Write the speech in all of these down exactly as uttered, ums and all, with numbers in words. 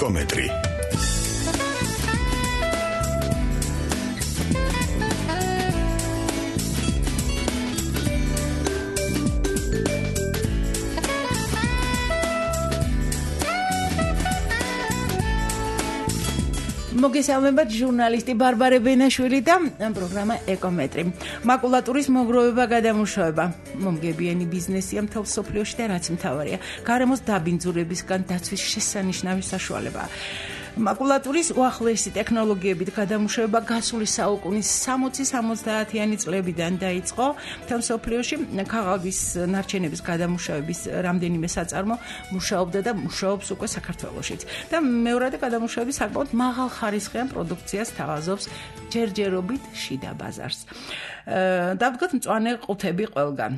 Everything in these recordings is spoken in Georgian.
ეკომეტრი. მოგესალმებათ ჟურნალისტი ბარბარე ბენაშვილი და პროგრამა ეკომეტრი. მაკულატურის მოგროვება, გადამუშავება, მომგებიანი ბიზნესია მთელ მსოფლიოში და რაც მთავარია, გარემოს დაბინძურებისგან დაცვის შესანიშნავი საშუალებაა. მაკულატურის უახლოესი ტექნოლოგიებით გადამუშავება გასული საუკუნის სამოცი სამოცდაათიანი წლებიდან დაიწყო. მთელ მსოფლიოში ქაღალდის ნარჩენების გადამუშავების რამდენიმე საწარმო მუშაობდა და მუშაობს უკვე საქართველოშიც. და მეორადი გადამუშავების საკმაოდ მაღალხარისხიან პროდუქციას თავაზობს ჯერჯერობით შიდა ბაზარს. დავდგოთ მწვანე ყუთები ყველგან.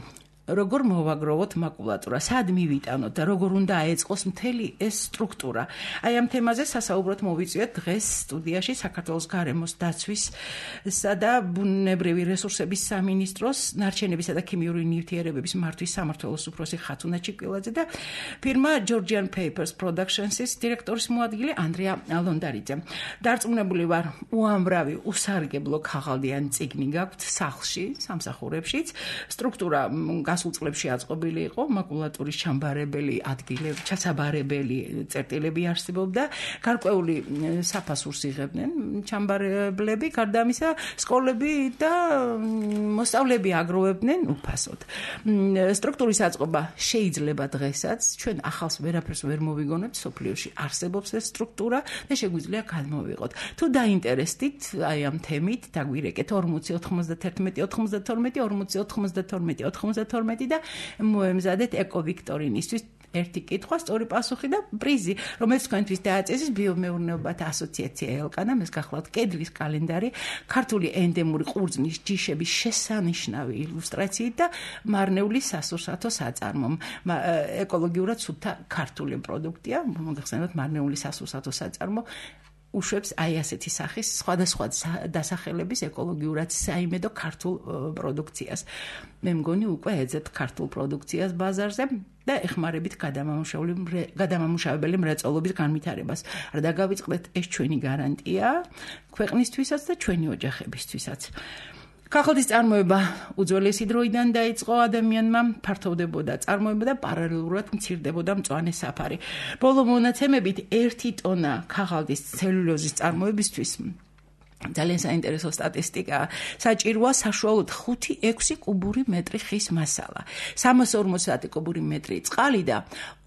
როგორ მოვაგროვოთ მაკულატურა, სად მივიტანოთ და როგორ უნდა აეწყოს მთელი ეს სტრუქტურა. აი ამ თემაზე სასაუბროდ მოვიწვიოთ დღეს სტუდიაში საქართველოს გარემოს დაცვისა და ბუნებრივი რესურსების სამინისტროს ნარჩენებისა და ქიმიური ნივთიერებების მართვის სამმართველოს უფროსი ხათუნა ჩიკვილაძე და ფირმა Georgian Papers Productions-ის დირექტორის მოადგილე ანდრია ლონდარიძე. დარწმუნებული ვარ, უამრავი უსარგებლო ქაღალდიან წიგნი გაქვთ სახლში, სამსახურებშიც. სტრუქტურა გასულ წლებში აწყობილი იყო, მაკულატურის ჩამბარებელი ადგილები, ჩასაბარებელი წერტილები არსებობდა, გარკვეული საფასურს იღებდნენ ჩამბარებლები, გარდა ამისა სკოლები და მოსწავლეები აგროვებდნენ უფასოდ. სტრუქტურის აწყობა შეიძლება დღესაც, ჩვენ ახალს ვერაფერს ვერ მოვიგონებთ, სოფლიოში არსებობს ეს სტრუქტურა და შეგვიძლია გადმოვიღოთ. თუ დაინტერესდით აი ამ თემით, დაგვირეკეთ ორმოცი ოთხმოცდაერთმეტი ოთხმოცდათორმეტი ორმოცი ოთხმოცდათორმეტი ოთხმოცდათორმეტი და მოემზადეთ ეკოვიქტორინისთვის ერთი კითხვა, სწორი პასუხი და პრიზი, რომელიც თქვენთვის დააწესეს ბიომეურნეობათა ასოციაცია ელკანა, ეს გახლავთ კედლის კალენდარი, ქართული ენდემური ყურძნის ჯიშების შესანიშნავი ილუსტრაციით და მარნეული სასურსათო საწარმომ. ეკოლოგიურად სუფთა ქართული პროდუქტია, მოგახსენოთ მარნეული სასურსათო საწარმო უშვებს აი ასეთი სახის სხვადასხვა დასახელების ეკოლოგიურად საიმედო ქართულ პროდუქციას. მე მგონი უკვე ეძებთ ქართულ პროდუქციას ბაზარზე და ეხმარებით გადამამუშავებელი მრეწველობის განვითარებას. არ დაგავიწყდეთ, ეს ჩვენი გარანტია ქვეყნისთვისაც და ჩვენი ოჯახებისთვისაც. ქაღალდის წარმოება უძველესი დროიდან დაიწყო, ადამიანმა ფართოვდებოდა წარმოება და პარალელურად მცირდებოდა მწვანე საფარი. ბოლო მონაცემებით ერთი ტონა ქაღალდის ცელულოზის წარმოებისთვის ძალიან საინტერესო სტატისტიკაა. საჭიროა საშუალოდ ხუთი ექვსი კუბური მეტრი ხის მასალა, სამას ორმოცი კუბური მეტრი წყალი და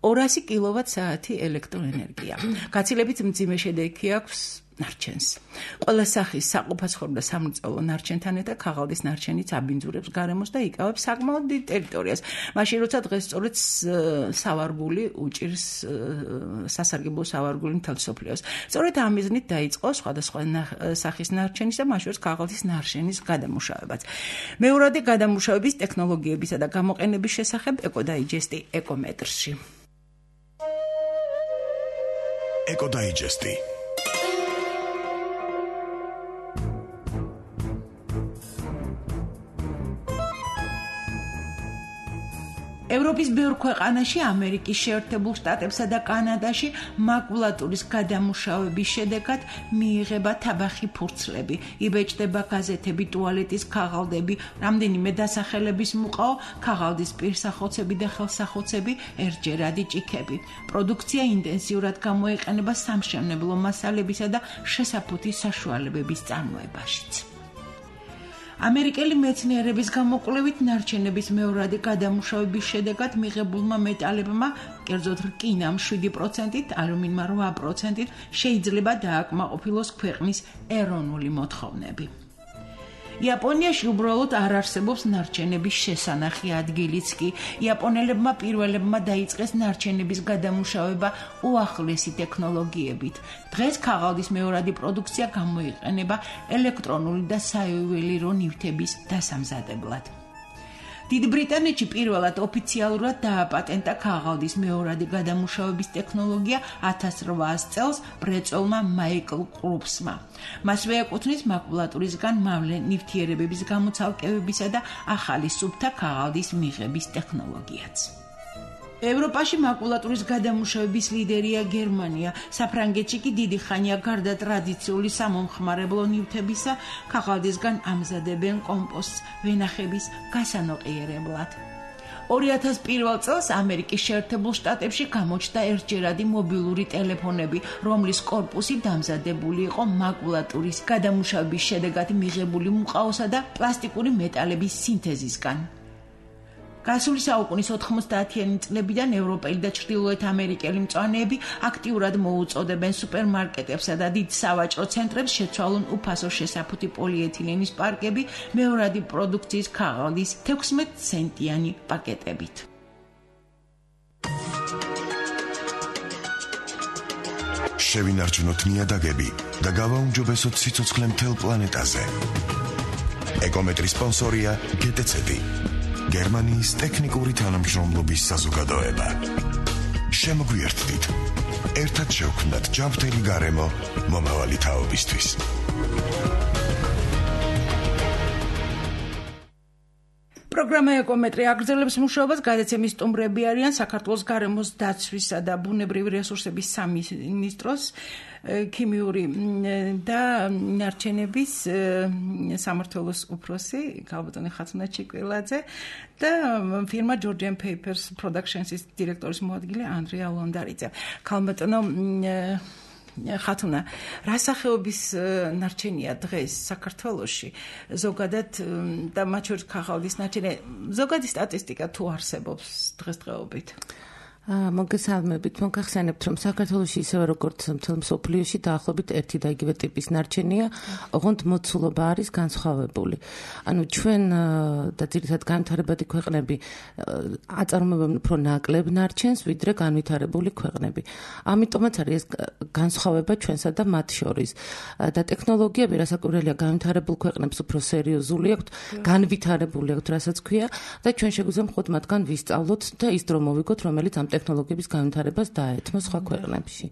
ორასი კილოვატ-საათი ელექტროენერგია. გაცილებით მძიმე შედეგი აქვს ნარჩენს. ყველა სახის საყოფაცხოვრებო და სამრეწველო ნარჩენთან ერთად ქაღალდის ნარჩენიც აბინძურებს გარემოს და იკავებს საკმაოდ დიდ ტერიტორიას. მაშინ როცა დღეს სწორედ სავარგული უჭირს სასარგებლო სავარგული მთელ მსოფლიოს. სწორედ ამ მიზნით დაიწყო სხვადასხვა სახის ნარჩენის და მათ შორის ქაღალდის ნარჩენის გადამუშავებაც. მეორადი გადამუშავების ტექნოლოგიებისა და გამოყენების შესახებ ეკოდაიჯესტი ეკომეტრში. ეკოდაიჯესტი ევროპის ბევრ ქვეყანაში, ამერიკის შეერთებულ შტატებსა და კანადაში მაკულატურის გადამუშავების შედეგად მიიღება თაბახი ფურცლები, იბეჭდება გაზეთები, ტუალეტის ქაღალდები, რამდენიმე დასახელების მუყაო, ქაღალდის პირსახოცები და ხელსახოცები, ერთჯერადი ჭიქები. პროდუქცია ინტენსიურად გამოიყენება სამშენებლო მასალებისა და შესაფუთის საშუალებების წარმოებაშიც. ამერიკელი მეცნიერების გამოკვლევით ნარჩენების მეორადი გადამუშავების შედეგად მიღებულმა მეტალებმა, კერძოდ რკინამ შვიდი პროცენტით, ალუმინმა რვა პროცენტით შეიძლება დააკმაყოფილოს ქვეყნის ეროვნული მოთხოვნები. იაპონიაში უბრალოდ არ არსებობს ნარჩენების შესანახი ადგილიც კი. იაპონელებმა პირველებმა დაიწყეს ნარჩენების გადამუშავება უახლესი ტექნოლოგიებით. დღეს ქაღალდის მეორადი პროდუქცია გამოიყენება ელექტრონული და საიუველირო ნივთების დასამზადებლად. დიდ ბრიტანეთში პირველად ოფიციალურად დააპატენტა ქაღალდის მეორადი გადამუშავების ტექნოლოგია ათას რვაას წელს მრეწველმა მაიკლ კრუპსმა. მასვე ეკუთვნის მაკულატურისგან მავლე ნივთიერებების გამოცალკევებისა და ახალი სუფთა ქაღალდის მიღების ტექნოლოგიაც. ევროპაში მაკულატურის გადამუშავების ლიდერია გერმანია. საფრანგეთში კი დიდი ხანია გარდა ტრადიციული სამომხმარებლო ნივთებისა, ქაღალდისგან ამზადებენ კომპოსტს ვენახების გასანოყიერებლად. ორი ათას პირველ წელს ამერიკის შეერთებულ შტატებში გამოჩნდა ერთჯერადი მობილური ტელეფონები, რომლის კორპუსი დამზადებული იყო მაკულატურის გადამუშავების შედეგად მიღებული მუყაოსა და პლასტიკური მეტალების სინთეზისგან. გასული საუკუნის ოთხმოცდაათიანი წლებიდან ევროპელი და ჩრდილოეთ ამერიკელი მწვანეები აქტიურად მოუწოდებენ სუპერმარკეტებსა და დიდ სავაჭრო ცენტრებს შეცვალონ უფასო შესაფუთი პოლიეთილენის პარკები მეორადი პროდუქციის ქაღალდის თექვსმეტ ცენტიანი პაკეტებით. შევინარჩუნოთ ნიადაგები და გავაუმჯობესოთ სიცოცხლე მთელ პლანეტაზე. ეკომეტრის სპონსორია გეტეცეტი. გერმანიის ტექნიკური თანამშრომლობის საზოგადოება. შემოგვიერთდით. ერთად შევქმნათ ჯანმრთელი გარემო მომავალი თაობისთვის. პროგრამა ეკომეტრი აგრძელებს მუშაობას, გადაცემის სტუმრები არიან საქართველოს გარემოს დაცვისა და ბუნებრივი რესურსების სამინისტროს ქიმიური და ნარჩენების სამმართველოს უფროსი ქალბატონი ხათუნა ჩიკვილაძე და ფირმა Georgian Papers Productions-ის დირექტორის მოადგილე ანდრია ლონდარიძე. ქალბატონო ხათუნა, რა სახეობის ნარჩენია დღეს საქართველოში ზოგადად და მათ შორის ქაღალდის ნარჩენი, ზოგადი სტატისტიკა თუ არსებობს დღესდღეობით? მოგესალმებით, მოგახსენებთ, რომ საქართველოში ისევე როგორც მთელ მსოფლიოში დაახლოებით ერთი და იგივე ტიპის ნარჩენია, ოღონდ მოცულობა არის განსხვავებული. ანუ ჩვენ და ძირითადად განვითარებადი ქვეყნები აწარმოებენ უფრო ნაკლებ ნარჩენს, ვიდრე განვითარებული ქვეყნები. ამიტომაც არის ეს განსხვავება ჩვენსა და მათ შორის. და ტექნოლოგიები, რასაკვირველია, განვითარებულ ქვეყნებს უფრო სერიოზული აქვთ, განვითარებული აქვთ, რასაც ქვია, და ჩვენ შეგვიძლია მხოლოდ მათგან ვისწავლოთ და ის დრო მოვიგოთ, რომელიც ამ ტექნოლოგიების განვითარებას დაეთმო სხვა ქვეყნებში.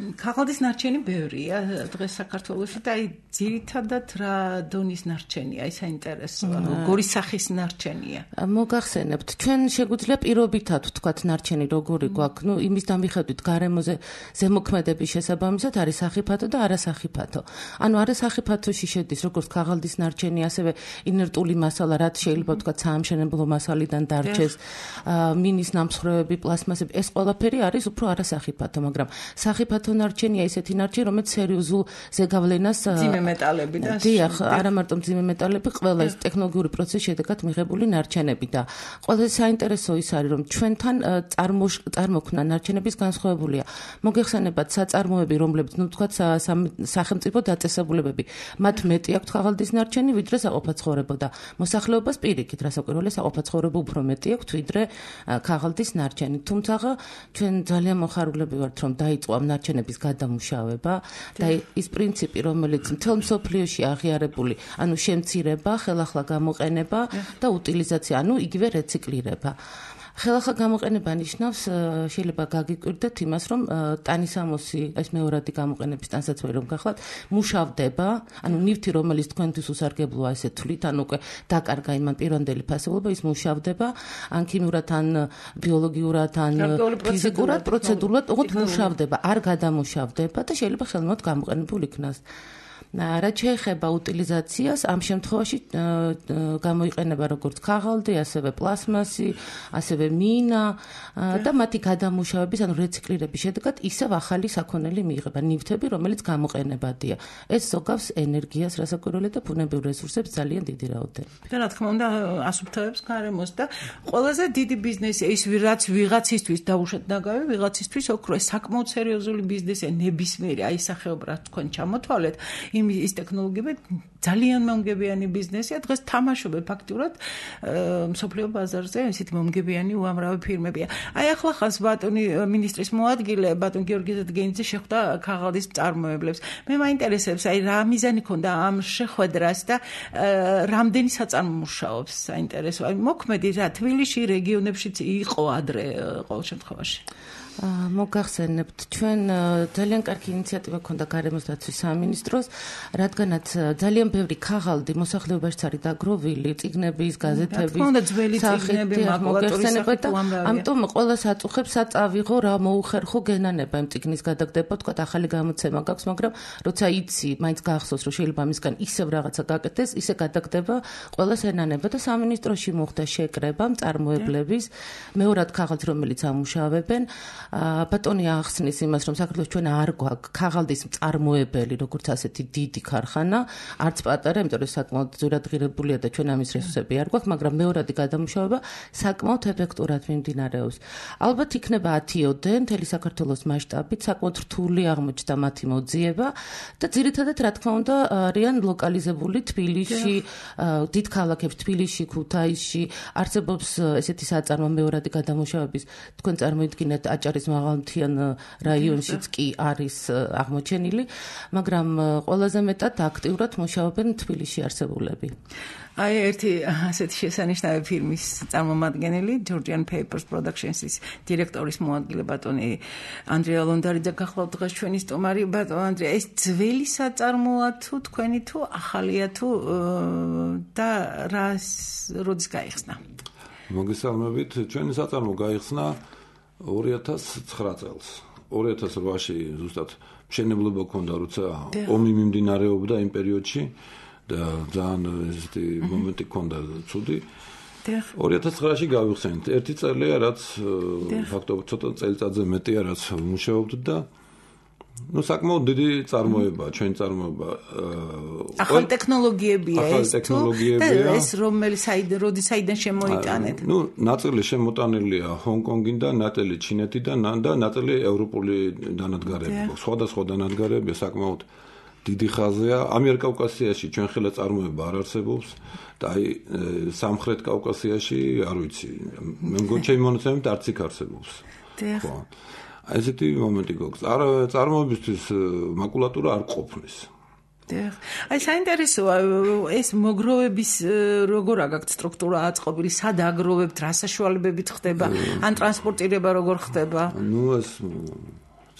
ქაღალდის ნარჩენი ბევრია დღეს საქართველოში და აი ძირითადად რა დონის ნარჩენია, ის საინტერესოა, როგორი სახის ნარჩენია? მოგახსენებთ, ჩვენ შეგვიძლია პირობითად ვთქვათ ნარჩენი როგორი გვაქვს, ну იმის დამიხედვით გარემოზე ზემოქმედების შესაბამისად არის სახიფათო და არასახიფათო. ანუ არასახიფათოში შედის როგორც ქაღალდის ნარჩენი, ასევე ინერტული მასალა, რაც შეიძლება ვთქვათ საამშენებლო მასალიდან დარჩეს, მინის ნამსხვრევები, პლასმასები, ეს ყველაფერი არის უფრო არასახიფათო, მაგრამ სახიფათო ნარჩენია ისეთი ნარჩენი, რომელიც სერიოზულ ზეგავლენას მძიმე მეტალები და დიახ, არა მარტო მძიმე მეტალები, ყველა ეს ტექნოლოგიური პროცესის შედეგად მიღებული ნარჩენები და ყველაზე საინტერესო ის არის, რომ ჩვენთან წარმოქმნა ნარჩენების განსხვავებულია. მოგეხსენებათ საწარმოები, რომლებიც, ну თქვათ, სახელმწიფო დაწესებულებები, მათ მეტი აქვთ ქაღალდის ნარჩენი, ვიდრე საყოფაცხოვრებო და მოსახლეობას პირიქით, რასაკვირველია, საყოფაცხოვრებო უფრო მეტი აქვთ, ვიდრე ქაღალდის ნარჩენი. თუმცა ჩვენ ძალიან მოხარულები ვართ, რომ დაიწყო ამ ნარჩენების გადამუშავება და ის პრინციპი, რომელიც მთელ მსოფლიოში აღიარებული, ანუ შემცირება, ხელახლა გამოყენება და утилизация, ანუ იგივე რეციკლირება. ხელახლა გამოყენება ნიშნავს, შეიძლება გაგიკვირდეთ იმას, რომ ტანისამოსი, ეს მეორადი გამოყენების ტანსაცმელი რომ გახლავთ, მუშავდება, ანუ ნივთი, რომელიც თქვენთვის უსარგებლოა, ესე თვლით, ანუ უკვე დაკარგა იმან პირვანდელი ფასებულობა, ის მუშავდება, ან ქიმიურად, ან ბიოლოგიურად, ან ფიზიკურად, პროცედურულად, ოღონდ მუშავდება, არ გადამუშავდება და შეიძლება ხელმოთ გამოყენებულ იქნას. რაც შეეხება утилизациას, ამ შემთხვევაში გამოიყენება როგორც ქაღალდი, ასევე პლასმასი, ასევე მინა და მათი გადამუშავების, ანუ რეციკლირების შედეგად ისევ ახალი საქონელი მიიღება, ნივთები, რომელიც გამოყენებადია. ეს ზოგავს ენერგიას, რასაკვირველია და ბუნებრივ რესურსებს ძალიან დიდი რაოდენობით. და რა თქმა უნდა, ასუფთავებს გარემოს და ყველაზე დიდი ბიზნესია ის, რაც ვიღაცისთვის დაუშვათ ნაგავი, ვიღაცისთვის ოქრო, საკმაოდ სერიოზული ბიზნესია, ნებისმიერი აი სახეობა, რაც თქვენ ჩამოთვალეთ. ის ტექნოლოგიები ძალიან მომგებიანი ბიზნესია, დღეს თამაშობენ ფაქტურად მსოფლიო ბაზარზე, ისეთი მომგებიანი უამრავი ფირმებია. აი ახლა ხას ბატონი მინისტრის მოადგილე, ბატონ გიორგი ზედგენიძე შეხვდა ქაღალდის მწარმოებლებს. მე მაინტერესებს, აი რა მიზანი ქონდა ამ შეხვედრას და რამდენი საწარმო მუშაობს, საინტერესო. აი მოქმედი რა თბილისში, რეგიონებშიც იყო ადრე ყოველ შემთხვევაში. მოგახსენებთ, ჩვენ ძალიან კარგი ინიციატივა ქონდა გარემოს დაცვის სამინისტროს, რადგანაც ძალიან ბევრი ქაღალდი მოსახლეობაშიც არის დაგროვილი, წიგნების, გაზეთების, სახით, მაკულატურის და ამიტომ ყველას აწუხებს საწავიღო რა მოუხერხო გენანება იმ წიგნის გადაგდება, თქვა ახალი გამოცემა გაქვს, მაგრამ როცა იცი, მაინც გაახსოვს რომ შეიძლება მისგან ისევ რაღაცა გაკეთდეს, ისე გადაგდება ყველას ენანება და სამინისტროში მოხდა შეკრება მწარმოებლების, მეორად ქაღალდს რომელიც ამუშავებენ, ბატონი ახსნის იმას, რომ საქართველოს ჩვენ არ გვაქვს ქაღალდის მწარმოებელი, როგორც ასეთი დიდი ქარხანა, არც პატარა, იმიტომ რომ საკმაოდ ძვირადღირებულია და ჩვენ ამის რესურსები არ გვაქვს, მაგრამ მეორადი გადამუშავება საკმაოდ ეფექტურად მიმდინარეობს. ალბათ იქნება ათიოდე მთელი საქართველოს მასშტაბით, საკმაოდ რთული აღმოჩნდა მათი მოძიება და ძირითადად რა თქმა უნდა არიან ლოკალიზებული თბილისში, დიდ ქალაქებში, თბილისში, ქუთაისში არსებობს ესეთი საწარმო მეორადი გადამუშავების, თქვენ წარმოიდგინეთ აჭარის მაღალმთიან რაიონშიც კი არის აღმოჩენილი, მაგრამ ყველაზე მეტად აქტიურად მუშაობენ თბილისში არსებულები. აი ერთი ასეთი შესანიშნავი ფილმის წარმომადგენელი Georgian Papers Productions-ის დირექტორის მოადგილე ბატონი ანდრია ლონდარიძე გახლავთ დღეს ჩვენი სტუმარი. ბატონო ანდრია, ეს ძველი საწარმოა თუ თქვენი თუ ახალია თუ და რას როდის გაიხსნა? მოგესალმებით, ჩვენი საწარმო გაიხსნა ორი ათას ცხრა წელს. ორი ათას რვაში ზუსტად მშენებლობა ქონდა, როცა ომი მიმდინარეობდა იმ პერიოდში და ძალიან ესეთი მომენტი ქონდა ცუდი. ორი ათას ცხრაში გავიხსენეთ. ერთი წელია, რაც ფაქტობრივად ცოტა წელიწადზე მეტია, რაც მუშაობთ და ну საკმაოდ დიდი წარმოება, ჩვენი წარმოება. ახალი ტექნოლოგიებია ეს. ახალი ტექნოლოგიებია. და ეს რომელი საიდან, როდის საიდან შემოიტანეთ? ну ნაწილი შემოტანილია ჰონკონგიდან, ნაწილი ჩინეთიდან და ნაწილი ევროპული დანადგარები. სხვადასხვა დანადგარები საკმაოდ დიდი ხაზია. ამიერკავკასიაში ჩვენ ხელა წარმოება არ არსებობს და აი სამხრეთ კავკასიაში არ ვიცი. მე მგონი ჩემი მონაცემებით არც იქ არსებობს. ხო. ესეთი მომენტი გვაქვს. არ წარმოებისთვის მაკულატურა არ ყოფნის. დიახ. აი საინტერესოა ეს მოგროვების როგორ აგაქვთ სტრუქტურა აწყობილი, სად აგროვებთ, რა საშუალებებით ხდება, ან ტრანსპორტირება როგორ ხდება? ну ეს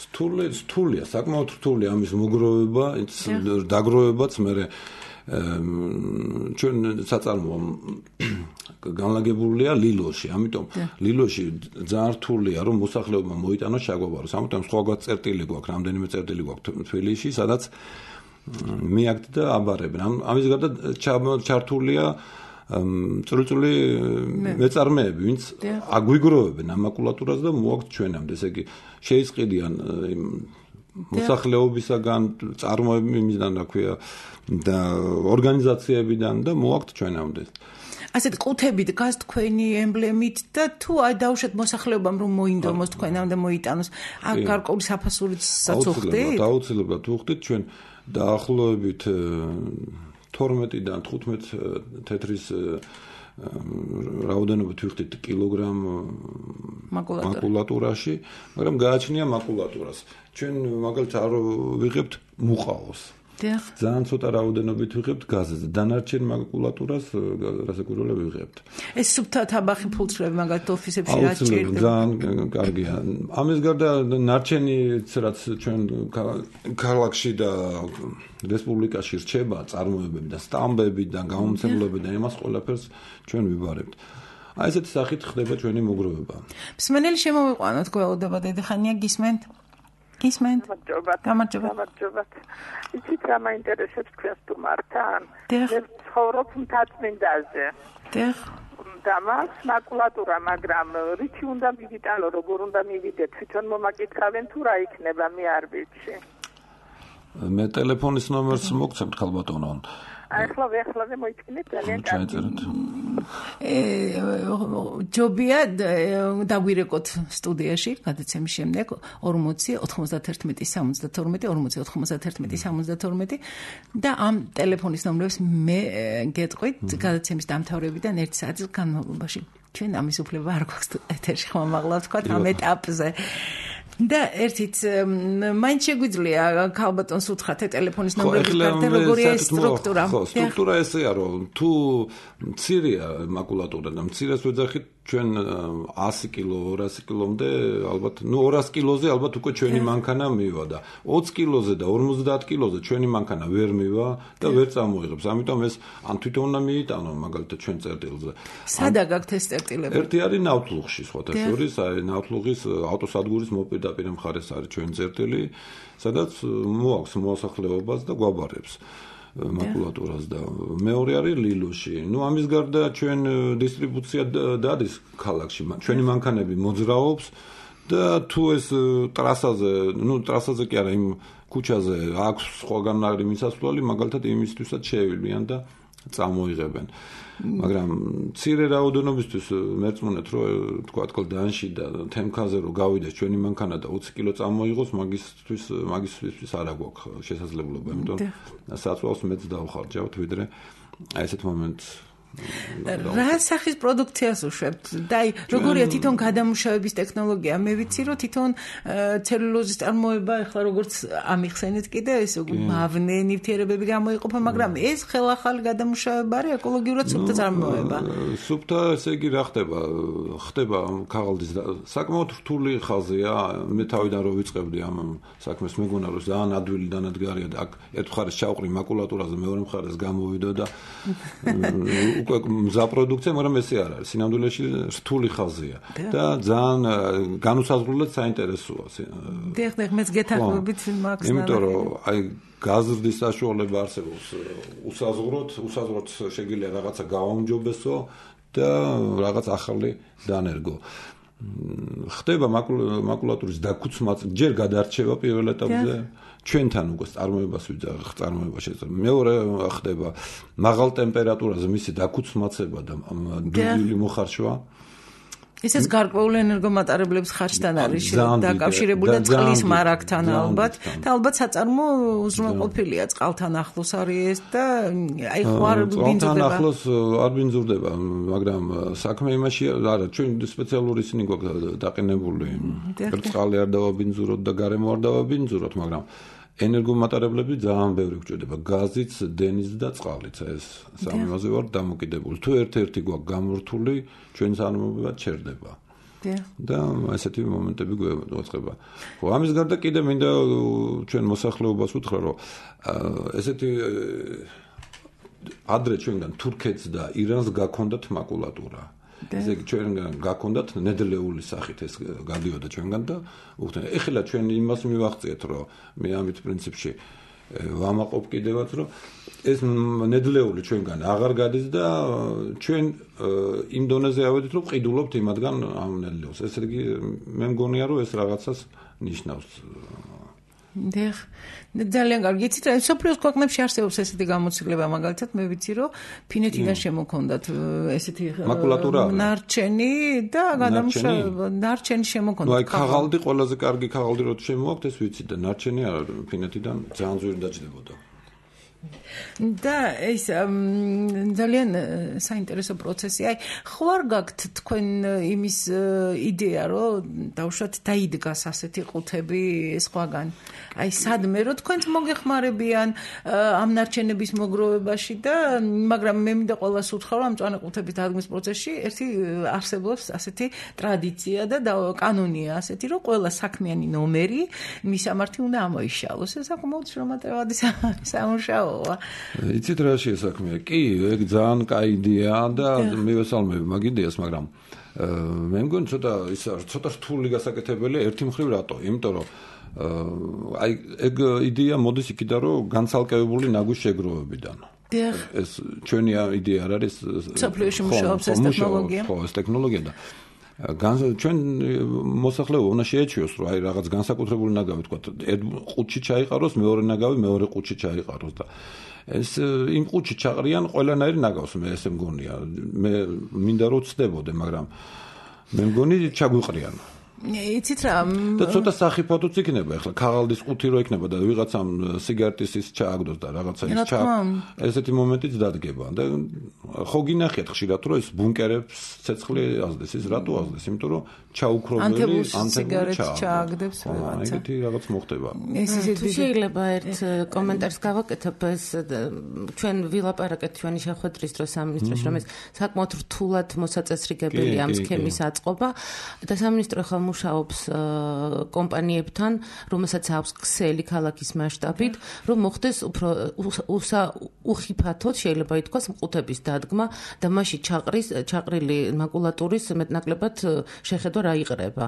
რთული, რთულია, საკმაოდ რთულია ამის მოგროვება, დაგროვებაც, მე ჩვენ საწარმოო განლაგებულია ლილოში, ამიტომ ლილოში ძალიან რთულია, რომ მოსახლეობა მოიტანოს შაგვაბაროს. ამიტომ სხვაგვარად წერტილი გვაქვს, რამდენიმე წერტილი გვაქვს თბილისში, სადაც მიაგთ და აბარებენ. ამის გარდა ჩართულია წრუწული მეწარმეები, ვინც აგვიგროვებენ ამ მაკულატურას და მოაქვთ ჩვენამდე. ესე იგი, შეისყიდიან მოსახლეობისაგან, წარმოებისგან, რა ქვია, და ორგანიზაციებიდან და მოაქვთ ჩვენამდე. ასეთ ყუთებით გას თქვენი ემბლემით და თუ აი დაუშვათ მოსახლეობამ რომ მოინდომოს თქვენამდე მოიტანოს, აქ გარკვეული საფასურიც საწუხდით? აუცილებლად უხდით ჩვენ დაახლოებით თორმეტიდან თხუთმეტ თეთრის რაოდენობით ვიხდით კილოგრამ მაკულატურაში, მაგრამ გააჩნია მაკულატურას. ჩვენ მაგალითად არ ვიღებთ მუყაოს. ძალიან ცოტა რაოდენობით ვიღებთ გაზზე. დანარჩენ მაკულატურას რასაკვირველია ვიღებთ. ეს სუფთა თაბახი ფულწრები მაგალითად ოფისებში რაც ჭირდება. ძალიან კარგია. ამის გარდა ნარჩენიც რაც ჩვენ ქალაქში და რესპუბლიკაში რჩება წარმოებები და სტამბები და გამომცემლობები და იმას ყველაფერს ჩვენ ვიბარებთ. აი ესეთი სახით ხდება ჩვენი მოგროვება. მსმენელი შემოვიყვანოთ, გველოდება დედიხანია გისმენთ? გისმენთ? გამარჯობა. გამარჯობა. იცით რა მაინტერესებს თქვენ სტუმართან? მე ცხოვრობ მთაწმინდაზე. დიახ. და მას მაკულატურა, მაგრამ რითი უნდა მივიტანო, როგორ უნდა მივიდეთ? თვითონ მომაკითხავენ თუ რა იქნება, მე არ ვიცი. მე ტელეფონის ნომერს მოგცემთ ხალბატონო. ახლა ახლა მოიწინეთ ძალიან კარგი. ჯობია დაგვირეკოთ სტუდიაში გადაცემის შემდეგ ორმოცი ოთხმოცდათერთმეტი სამოცდათორმეტი ორმოცი ოთხმოცდათერთმეტი სამოცდათორმეტი და ამ ტელეფონის ნომრებს მე გეტყვით გადაცემის დამთავრებიდან ერთი საათის განმავლობაში. ჩვენ ამის უფლება არ გვაქვს ეთერში ხმამაღლა თქვა ამ ეტაპზე. და ერთით მაინც შეგვიძლია ქალბატონს უთხრათ ტელეფონის ნომრების გარდა როგორია ეს სტრუქტურა? ხო, სტრუქტურა ესეა, რომ თუ მცირეა მაკულატურა და მცირეს ვეძახით ჩვენ ასი კილო, ორასი კილომდე ალბათ, ну ორასი კილოზე ალბათ უკვე ჩვენი მანქანა მივა და ოცი კილოზე და ორმოცდაათ კილოზე ჩვენი მანქანა ვერ მივა და ვერ წამოიღებს. ამიტომ ეს ან თვითონ უნდა მიიტანო მაგალითად ჩვენ წერტილზე. სადა გაქვთ ეს წერტილები? ერთი არის ნავთლუღში, სხვათა შორის, აი ნავთლუღის ავტოსადგურის მოპირდაპირ მხარეს არის ჩვენი წერტილი, სადაც მოაქვს მოსახლეობას და გვაბარებს მაკულატურას და მეორე არის ლილოში. ნუ ამის გარდა ჩვენ დისტრიბუცია დადის ქალაქში. ჩვენი მანქანები მოძრაობს და თუ ეს ტრასაზე, ნუ ტრასაზე კი არა, იმ ქუჩაზე აქვს სხვაგან არის მისასვლელი, მაგალითად იმისთვისაც შეევილიან და წამოიღებენ. მაგრამ მცირე რაოდენობისთვის მერწმუნეთ, რომ თქვა კლდანში და თემქაზე რომ გავიდეს ჩვენი მანქანა და ოცი კილო წამოიღოს, მაგისთვის მაგისთვის არ აქვს შესაძლებლობა, იმიტომ საწვავს მეც დავხარჯავთ, ვიდრე აი ესეთ მომენტს რა სახის პროდუქციას უშვებთ? და აი როგორია თვითონ გადამუშავების ტექნოლოგია? მე ვიცი რომ თვითონ ცელულოზის წარმოება ახლა როგორც ამიხსენეთ კიდე ეს მავნე ნივთიერებები გამოიყოფა, მაგრამ ეს ხელახალი გადამუშავება არის ეკოლოგიურად სუფთა წარმოება. სუფთა ესე იგი რა ხდება? ხდება ქაღალდის საკმაოდ რთული ხაზია. მე თავიდან რო ვიწყებდი ამ საქმეს მეგონა რომ ძალიან ადვილი დანადგარია და აქ ერთ მხარეს ჩავყრი მაკულატურაზე, მეორე მხარეს გამოვიდო და უკვე მზა პროდუქცია, მაგრამ ესე არ არის. სინამდვილეში რთული ხაზია და ძალიან განუსაზღვრელად საინტერესოა. დიახ, მეც გეთანხმებით მაგს. იმიტომ რომ აი გაზრდის საშუალება არსებობს უსაზღვროდ, უსაზღვროდ შეგიძლია რაღაცა გავაუმჯობესო და რაღაც ახალი დანერგო. ხდება მაკულატურის დაქუცმაც, ჯერ გადარჩება პირველ ეტაპზე. ჩვენთან უკვე წარმოებას ვიძახ, წარმოება შეიძლება. მეორე ხდება მაღალ ტემპერატურაზე მისი დაქუცმაცება და დუღილი მოხარშვა. ესეც გარკვეული ენერგომატარებლების ხარჯთან არის დაკავშირებული და წყლის მარაგთან ალბათ. და ალბათ საწარმო უზრუნველყოფილია, წყალთან ახლოს არის ეს და აი ხო არ ბინძურდება. წყალთან ახლოს არ ბინძურდება, მაგრამ საქმე იმაში არა, ჩვენ სპეციალური ისინი გვაქვს დაყენებული. წყალი არ დავაბინძუროთ და გარემო არ დავაბინძუროთ, მაგრამ ენერგომატარებლები ძალიან ბევრი გვჭირდება, გაზიც, დენიც და წყალიც. ეს სამივაზე ვარ დამოკიდებული. თუ ერთ-ერთი გვაქვს გამორთული, ჩვენ წარმოება ჩერდება. და ესეთი მომენტები გვეწყება. ხო, ამის გარდა კიდე მინდა ჩვენ მოსახლეობას უთხრა, რომ ესეთი ადრე ჩვენგან თურქეთს და ირანს გაქონდათ მაკულატურა. ესე იგი ჩვენგან გაქონდათ ნედლეული სახით ეს გადიოდა ჩვენგან და უხდენ. ეხლა ჩვენ იმას მივახციეთ, რომ მე ამით პრინციპში ვამაყობ კიდევაც, რომ ეს ნედლეული ჩვენგან აღარ გადის და ჩვენ იმ დონეზე ავედით, რომ ყიდულობთ იმათგან ამ ნედლეულს. ესე იგი მე მგონია, რომ ეს რაღაცას ნიშნავს. დიახ, ძალიან კარგი. იცით რა, სოფლიოს ქვეყნებში არსებობს ესეთი გამოცდილება, მაგალითად მე ვიცი, რომ ფინეთიდან შემოქონდათ ესეთი მაკულატურა ნარჩენი და გადამუშავება, ნარჩენი შემოქონდათ. ნუ აი ქაღალდი ყველაზე კარგი ქაღალდი რო შემოაქვთ, ეს ვიცით და ნარჩენი არა ფინეთიდან ძალიან ძვირი დაჯდებოდა. და ეს ძალიან საინტერესო პროცესი. აი, ხო არ გაქვთ თქვენ იმის იდეა, რომ დავუშვათ დაიდგას ასეთი ყუთები სხვაგან? აი, სადმე რომ თქვენც მოგეხმარებიან ამ ნარჩენების მოგროვებაში და მაგრამ მე მინდა ყველას უთხრა, რომ ამ მწვანე ყუთების დადგმის პროცესში ერთი არსებობს ასეთი ტრადიცია და კანონია ასეთი, რომ ყველა საქმიანი ნომერი მისამართი უნდა ამოიშალოს. ეს საკმაოდ შრომატევადი სამუშაო. იცით რა შესაქმეა? კი, ეგ ძალიან კაი იდეაა და მივესალმები მაგ იდეას, მაგრამ მე მგონი ცოტა ის ცოტა რთული გასაკეთებელია ერთი მხრივ რატო? იმიტომ რომ აი ეგ იდეა მოდის იქიდან, რომ განცალკევებული ნაგვის შეგროვებიდან. ეს ჩვენი იდეა არ არის. სოფლიოში მუშაობს ეს ტექნოლოგია. ხო, ეს ტექნოლოგია და ჩვენ მოსახლეობა უნდა შეეჩვიოს, რომ აი რაღაც განსაკუთრებული ნაგავი თქვა, ერთ ყუთში ჩაიყაროს, მეორე ნაგავი მეორე ყუთში ჩაიყაროს და ეს იმ ყუთში ჩაყრიან ყველანაირ ნაგავს, მე ესე მგონია. მე მინდა რომ ვცდებოდე, მაგრამ მე მგონი ჩაგვიყრიან. იცით რა და ცოტა სახიფათოც იქნება ახლა ქაღალდის ყუთი რო იქნება და ვიღაცამ სიგარეტის ის ჩააგდოს და რაღაცა ის ჩა ესეთი მომენტიც დადგება და ხო გინახიათ ხშირად რომ ეს ბუნკერებს ცეცხლი აზდეს ის რატო აზდეს იმიტომ რომ ჩაუქრობელი ანთებული ჩააგდებს რაღაცა ეგეთი რაღაც მოხდება ეს ისეთი შეიძლება ერთ კომენტარს გავაკეთებ ეს ჩვენ ვილაპარაკეთ ჩვენი შეხვედრის დროს სამინისტროში რომ ეს საკმაოდ რთულად მოსაწესრიგებელი ამ სქემის აწყობა და სამინისტრო ხომ მუშაობს კომპანიებთან, რომელსაც აქვს ქსელი ქალაქის მასშტაბით, რომ მოხდეს უფრო უხიფათოდ შეიძლება ითქვას მყუთების დადგმა და მასში ჩაყრის ჩაყრილი მაკულატურის მეტნაკლებად შეხედვა რა იყრება.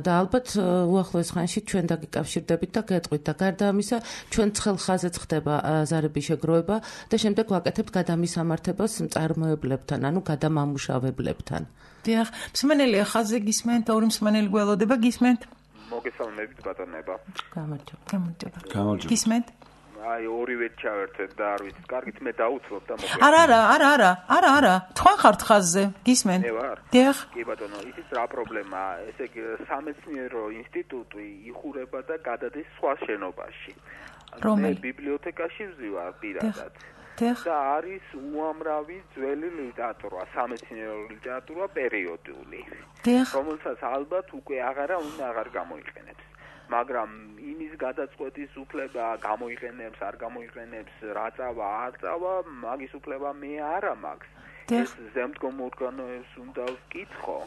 და ალბათ უახლოეს ხანში ჩვენ დაგიკავშირდებით და გეტყვით და გარდა ამისა ჩვენ ცხელ ხაზეც ხდება ზარების შეგროვება და შემდეგ ვაკეთებთ გადამისამართებას მწარმოებლებთან, ანუ გადამამუშავებლებთან. დიახ, მსმენელია ხაზზე გისმენთ, ორი მსმენელი გველოდება გისმენთ? მოგესალმებით ბატონებო. გამარჯობა. გამარჯობა. გამარჯობა. გისმენთ? აი ორივე ჩავერთეთ და არ ვიცი, კარგით მე დაუცლობ და მოგე. არა, არა, არა, არა, არა, არა. თქვენ ხართ ხაზზე, გისმენთ? მე ვარ. დიახ. კი ბატონო, იცით რა პრობლემაა? ესე იგი სამეცნიერო ინსტიტუტი იხურება და გადადის სხვა შენობაში. რომელი? მე ბიბლიოთეკაში ვზივარ პირადად. და არის უამრავი ძველი ლიტერატურა, სამეცნიერო ლიტერატურა პერიოდული. რომელსაც ალბათ უკვე აღარა უნდა აღარ გამოიყენებს. მაგრამ იმის გადაწყვეტის უფლება გამოიყენებს, არ გამოიყენებს, რა წავა, არ წავა, მაგის უფლება მე არ მაქვს. ეს ზემდგომ ორგანოებს უნდა ვკითხო.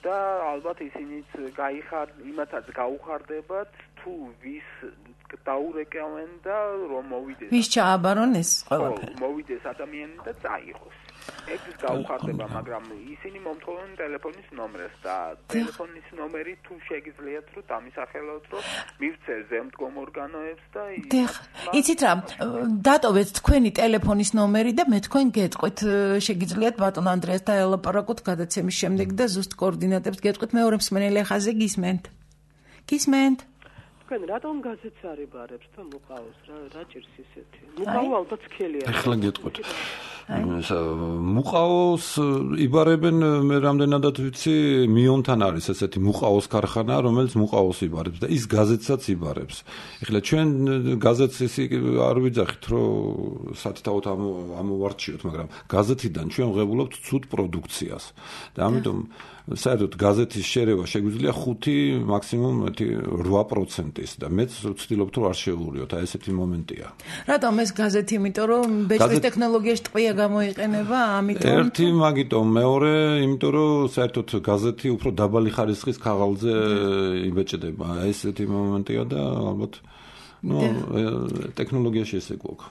და ალბათ ისინიც გაიხარ, იმათაც გაუხარდებათ თუ ვის დაურეკავენ და რომ მოვიდეს. ვის ჩააბარონ ეს ყველაფერი? მოვიდეს ადამიანი და წაიღოს. ეს გაუხარდება, მაგრამ ისინი მომთხოვენ ტელეფონის ნომერს და ტელეფონის ნომერი თუ შეგიძლიათ რომ დამისახელოთ რომ მივცე ზემდგომ ორგანოებს და იცით რა, დატოვეთ თქვენი ტელეფონის ნომერი და მე თქვენ გეტყვით, შეგიძლიათ ბატონ ანდრეასთან ელაპარაკოთ გადაცემის შემდეგ და ზუსტ კოორდინატებს გეტყვით. მეორე მსმენელი ხაზზე გისმენთ? გისმენთ? თქვენ რატომ გაზეთს არ იბარებს და მოყავს რა რა ჭირს ისეთი? მოყავ ალბათ სქელია. ეხლა გეტყვით. მუყაოს იბარებენ მე რამდენადაც ვიცი მიონთან არის ესეთი მუყაოს ქარხანა რომელიც მუყაოს იბარებს და ის გაზეთსაც იბარებს. ეხლა ჩვენ გაზეთს ისე არ ვიძახით რომ სათითაოდ ამოვარჩიოთ, მაგრამ გაზეთიდან ჩვენ ვღებულობთ ცუდ პროდუქციას და ამიტომ საერთოდ გაზეთის შერევა შეგვიძლია ხუთი მაქსიმუმ რვა პროცენტის და მეც ვცდილობთ რომ არ შევურიოთ, აი ესეთი მომენტია. რატომ ეს გაზეთი? იმიტომ რომ ბეჭდის ტექნოლოგიაში ტყვია გამოიყენება, ამიტომ ერთი მაგიტომ, მეორე, იმიტომ რომ საერთოდ გაზეთი უფრო დაბალი ხარისხის ქაღალდზე იბეჭდება. აი ესეთი მომენტია და ალბათ ნუ ტექნოლოგიაში ესე გვაქვს.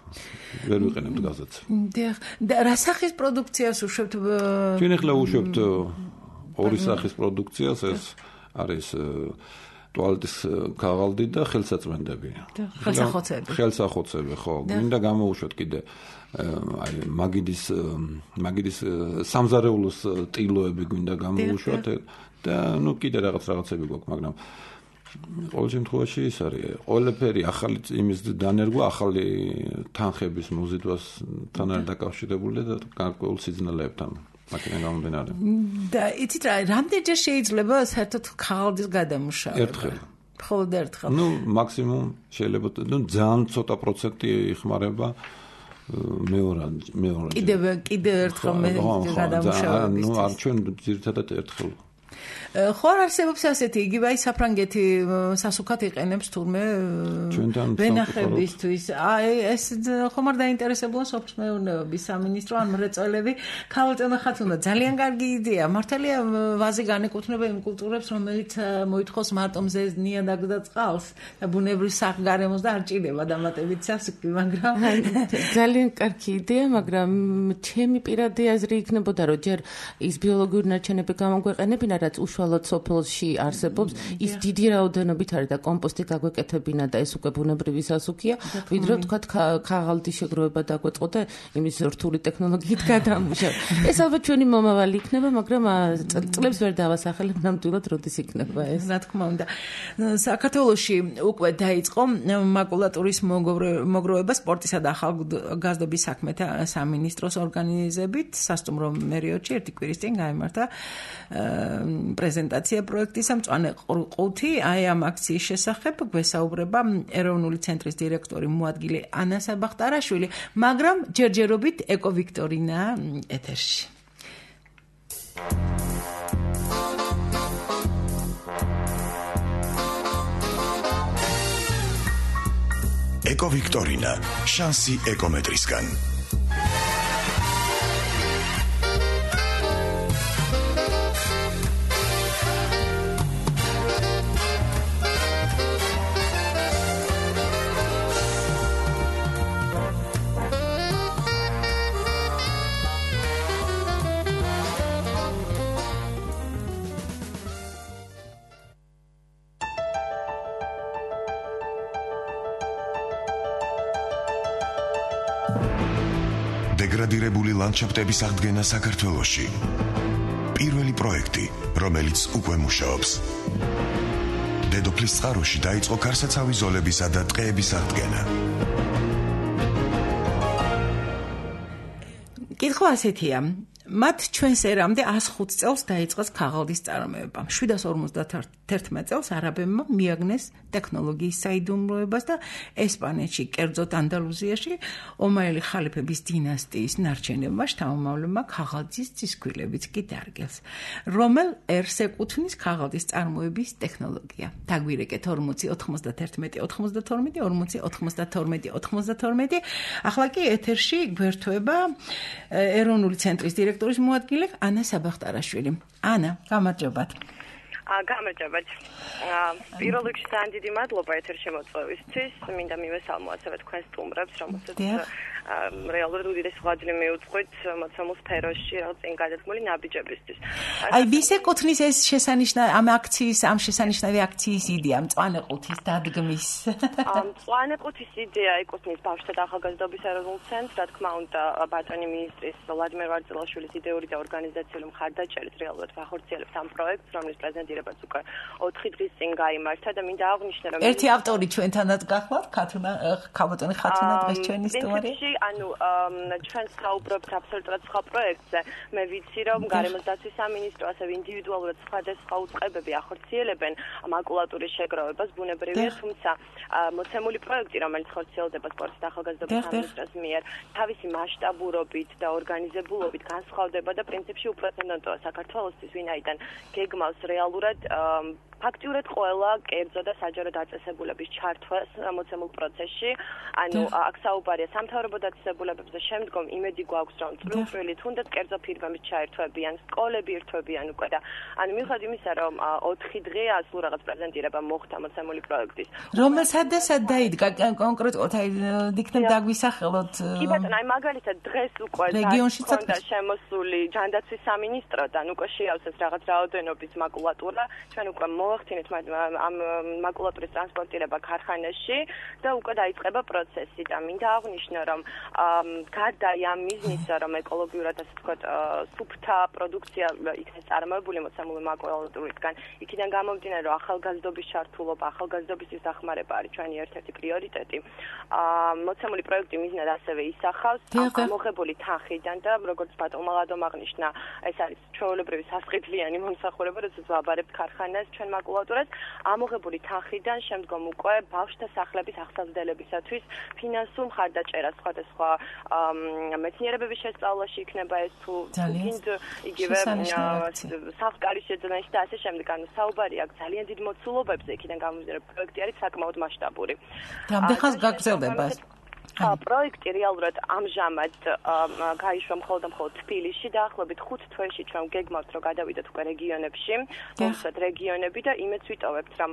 ვერ ვიყენებთ გაზეთს. დიახ, და რა სახის პროდუქციას უშვებთ? ჩვენ ახლა უშვებთ ორი სახის პროდუქციას, ეს არის ტუალეტის ქაღალდი და ხელსაწმენდები. ხელსახოცები. ხელსახოცები, ხო. მინდა გამოვუშვათ კიდე აი მაგიდის მაგიდის სამზარეულოს ტილოები გვინდა გამოვუშვათ და ნუ კიდე რაღაც რაღაცები გვაქვს, მაგრამ ყოველ შემთხვევაში ის არის ყველაფერი ახალი იმის დანერგვა, ახალი თანხების მოზიდვასთან არის დაკავშირებული და გარკვეულ სიძნელებთან. მაკენა გამომდინარე. და იცით რა, რამდენჯერ შეიძლება საერთოდ ქაღალდის გადამუშავება? ერთხელ. მხოლოდ ერთხელ. ნუ მაქსიმუმ შეიძლება, ნუ ძალიან ცოტა პროცენტი იხმარება მეორე მეორე. კიდევ კიდევ ერთხელ მე გადამუშავების. ნუ არ ჩვენ ძირითადად ერთხელ. ხო არ არსებობს ასეთი იგივე აი საფრანგეთი სასუქად იყენებს თურმე ვენახებისთვის. აი ეს ხომ არ დაინტერესებულა სოფლის მეურნეობის სამინისტრო ან მრეწველები. ქალწონა ხათუნა ძალიან კარგი იდეა. მართალია ვაზი განეკუთვნება იმ კულტურებს, რომელიც მოითხოვს მარტო მზეს ნიადაგს და წყალს და ბუნებრივ სახგარემოს და არ ჭირდება დამატებით სასუქი, მაგრამ ძალიან კარგი იდეა, მაგრამ ჩემი პირადი აზრი იქნებოდა, რომ ჯერ ის ბიოლოგიური ნარჩენები გამოგვეყენებინა, რაც უშუალოდ სოფელში არსებობს, ის დიდი რაოდენობით არის და კომპოსტი გაგვეკეთებინა და ეს უკვე ბუნებრივი სასუქია, ვიდრე ვთქვათ ქაღალდის შეგროვება დაგვეწყო და იმის რთული ტექნოლოგიით გადამუშავ. ეს ალბათ ჩვენი მომავალი იქნება, მაგრამ წლებს ვერ დავასახელებ ნამდვილად როდის იქნება ეს. რა თქმა უნდა. საქართველოში უკვე დაიწყო მაკულატურის მოგროვება სპორტისა და ახალგაზრდობის საქმეთა სამინისტროს ორგანიზებით სასტუმრო მერიოდში ერთი კვირის წინ გაიმართა პრეზენტაცია პროექტისა მწვანე ყუთი, აი ამ აქციის შესახებ გვესაუბრება ეროვნული ცენტრის დირექტორი მოადგილე ანა საბახტარაშვილი, მაგრამ ჯერჯერობით ეკო ვიქტორინა ეთერში. ეკო ვიქტორინა, შანსი ეკომეტრისგან. დეგრადირებული ლანდშაფტების აღდგენა საქართველოში. პირველი პროექტი, რომელიც უკვე მუშაობს. დედოფლის წყაროში დაიწყო ქარსაცავი ზოლებისა და ტყეების აღდგენა. კითხვა ასეთია. მათ ჩვენს ერამდე ას ხუთ წელს დაიწყეს ქაღალდის წარმოება. შვიდას ორმოცდაერთმეტ წელს არაბებმა მიაგნეს ტექნოლოგიის საიდუმლოებას და ესპანეთში, კერძოდ ანდალუზიაში, ომაელი ხალიფების დინასტიის ნარჩენებმა შთამომავლებმა ქაღალდის წისქვილებიც კი დარგეს. რომელ ერს ეკუთვნის ქაღალდის წარმოების ტექნოლოგია? დაგვირეკეთ ორმოცი ოთხმოცდაერთმეტი ოთხმოცდათორმეტი ორმოცი ოთხმოცდათორმეტი ოთხმოცდათორმეტი. ახლა კი ეთერში გვერდება ეროვნული ცენტრის დირექტორი მოადგილე ანა საბახტარაშვილი. ანა, გამარჯობათ. გამარჯობათ. პირველ რიგში ძალიან დიდი მადლობა ეთერში მოწვევისთვის. მინდა მივესალმო ასევე თქვენს სტუმრებს, რომელსაც რეალურად უდიდეს ღვაწლი მიუძღვით მოცემულ სფეროში რაღაც წინ გადადგმული ნაბიჯებისთვის. აი, ვის ეკუთვნის ეს შესანიშნავი ამ აქციის, ამ შესანიშნავი აქციის იდეა, მწვანე ყუთის დადგმის? მწვანე ყუთის იდეა ეკუთვნის ბავშვთა და ახალგაზრდობის ეროვნულ ცენტრს, რა თქმა უნდა, ბატონი მინისტრის ვლადიმერ ვარძელაშვილის იდეური და ორგანიზაციული მხარდაჭერით რეალურად ვახორციელებთ ამ პროექტს, რომლის პრეზენტირებაც უკვე ოთხი დღის წინ გაიმართა და მინდა აღვნიშნო, რომ ერთი ავტორი ჩვენთანაც გახლავთ, ქათუნა ქაბატონი ხათუნა დღეს ჩვენი სტუმარი. ანუ ჩვენ საუბრობთ აბსოლუტურად სხვა პროექტზე. მე ვიცი, რომ გარემოს დაცვის სამინისტრო ასევე ინდივიდუალურად სხვადასხვა უწყებები ახორციელებენ მაკულატურის შეგროვებას, ბუნებრივია, თუმცა მოცემული პროექტი, რომელიც ხორციელდება სპორტის და ახალგაზრდობის სამინისტროს მიერ, თავისი მასშტაბურობით და ორგანიზებულობით განსხვავდება და პრინციპში უპრეცედენტოა საქართველოსთვის, ვინაიდან გეგმავს რეალურად ფაქტიურად ყველა კერძო და საჯარო დაწესებულების ჩართვას მოცემულ პროცესში. ანუ აქ საუბარია სამთავრობო დაწესებულებებზე, შემდგომ იმედი გვაქვს, რომ წვრილ-წვრილი თუნდაც კერძო ფირმები ჩაერთვებიან, სკოლები ერთვებიან უკვე და ანუ მიუხედავად იმისა, რომ ოთხი დღე ასულ რაღაც პრეზენტირება მოხდა მოცემული პროექტის. რომელ სად და სად დაიდგა კონკრეტულად, აი იქნებ დაგვისახელოთ. კი ბატონო, აი მაგალითად დღეს უკვე რეგიონში და შემოსული ჯანდაცვის სამინისტროდან უკვე შეავსეს რაღაც რაოდენობის მაკულატურა, ჩვენ უკვე მოახდინეთ ამ მაკულატურის ტრანსპორტირება ქარხანაში და უკვე დაიწყება პროცესი და მინდა აღვნიშნო, რომ გარდა ამ მიზნისა, რომ ეკოლოგიურად ასე ვთქვათ, სუფთა პროდუქცია იქნეს წარმოებული მოცემული მაკულატურისგან, იქიდან გამომდინარე, რომ ახალგაზრდობის ჩართულობა, ახალგაზრდობის დახმარება არის ჩვენი ერთ-ერთი პრიორიტეტი. მოცემული პროექტი მიზნად ასევე ისახავს ამოღებული თანხიდან და როგორც ბატონმა ლადომ აღნიშნა, ეს არის ჩვეულებრივი სასყიდლიანი მომსახურება, როდესაც ვაბარებთ ქარხანას ჩვენ მაკულატურას, ამოღებული თანხიდან შემდგომ უკვე ბავშვთა სახლების აღსავსდებლებისათვის ფინანსურ მხარდაჭერას სხვადასხვა მეცნიერებების შესწავლაში იქნება ეს თუ გინდ იგივე სახლკარის შეძენაში და ასე შემდეგ. ანუ საუბარი აქვს ძალიან დიდ მოცულობებზე, იქიდან გამომდინარე პროექტი არის საკმაოდ მასშტაბური. რამდენ ხანს გაგრძელდება? პროექტი რეალურად ამჟამად გაიშვა მხოლოდ და მხოლოდ თბილისში, დაახლოებით ხუთ თვეში ჩვენ გეგმავთ, რომ გადავიდეთ უკვე რეგიონებში, თუმცა რეგიონები და იმედს ვიტოვებთ, რომ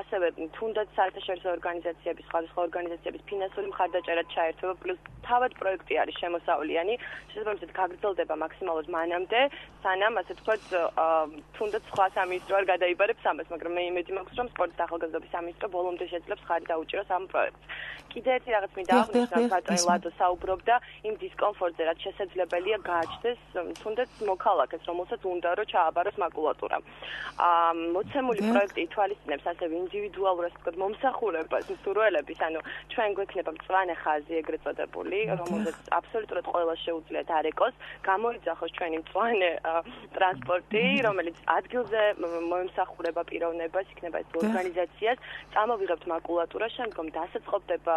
ასევე თუნდაც საერთაშორისო ორგანიზაციების, სხვადასხვა ორგანიზაციების ფინანსური მხარდაჭერა ჩაერთვება, პლუს თავად პროექტი არის შემოსავლიანი, შესაბამისად გაგრძელდება მაქსიმალურად მანამდე, სანამ ასე ვთქვათ, თუნდაც სხვა სამინისტრო არ გადაიბარებს ამას, მაგრამ მე იმედი მაქვს, რომ სპორტის და ახალგაზრდობის სამინისტრო ბოლომდე შეძლებს ხარი დაუჭიროს ამ პროექტს. კიდე ერთი რაღაც მინდა აღვნიშნო, ბატონი ლადო საუბრობდა იმ დისკომფორტზე, რაც შესაძლებელია გააჩნდეს თუნდაც მოქალაქეს, რომელსაც უნდა რომ ჩააბაროს მაკულატურა. აა მოცემული პროექტი ითვალისწინებს ასევე ინდივიდუალურად ვთქვათ მომსახურებას, მსურველების, ანუ ჩვენ გვექნება მწვანე ხაზი ეგრეთ წოდებული, რომელზეც აბსოლუტურად ყველა შეუძლიათ არეკოს, გამოიძახოს ჩვენი მწვანე ტრანსპორტი, რომელიც ადგილზე მომსახურება პიროვნებას, იქნება ეს ორგანიზაციას, წამოვიღებთ მაკულატურა, შემდგომ დასაწყობდება